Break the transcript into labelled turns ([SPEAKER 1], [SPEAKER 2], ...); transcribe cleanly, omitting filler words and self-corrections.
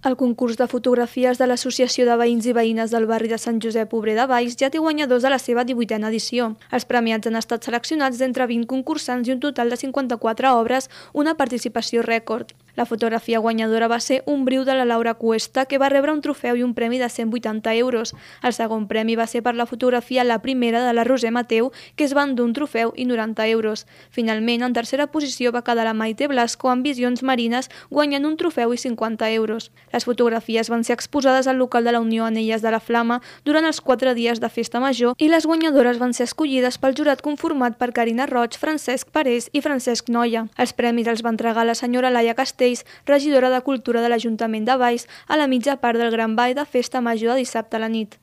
[SPEAKER 1] El concurs de fotografies de l'Associació de Veïns i Veïnes del barri de Sant Josep Obrer de Valls ja té guanyadors de la seva 18a edició. Els premiats han estat seleccionats d'entre 20 concursants i un total de 54 obres, una participació rècord. La fotografia guanyadora va ser Un briu de la Laura Cuesta, que va rebre un trofeu i un premi de 180 euros. El segon premi va ser per la fotografia La primera de la Roser Mateu, que es va endur un trofeu i 90 euros. Finalment, en tercera posició va quedar la Maite Blasco amb Visions Marines, guanyant un trofeu i 50 euros. Les fotografies van ser exposades al local de la Unió Anelles de la Flama durant els 4 dies de festa major i les guanyadores van ser escollides pel jurat conformat per Carina Roig, Francesc Parés i Francesc Noia. Els premis els va entregar la senyora Laia Castells, regidora de Cultura de l'Ajuntament de Valls, a la mitja part del Gran Ball de Festa Major de dissabte a la nit.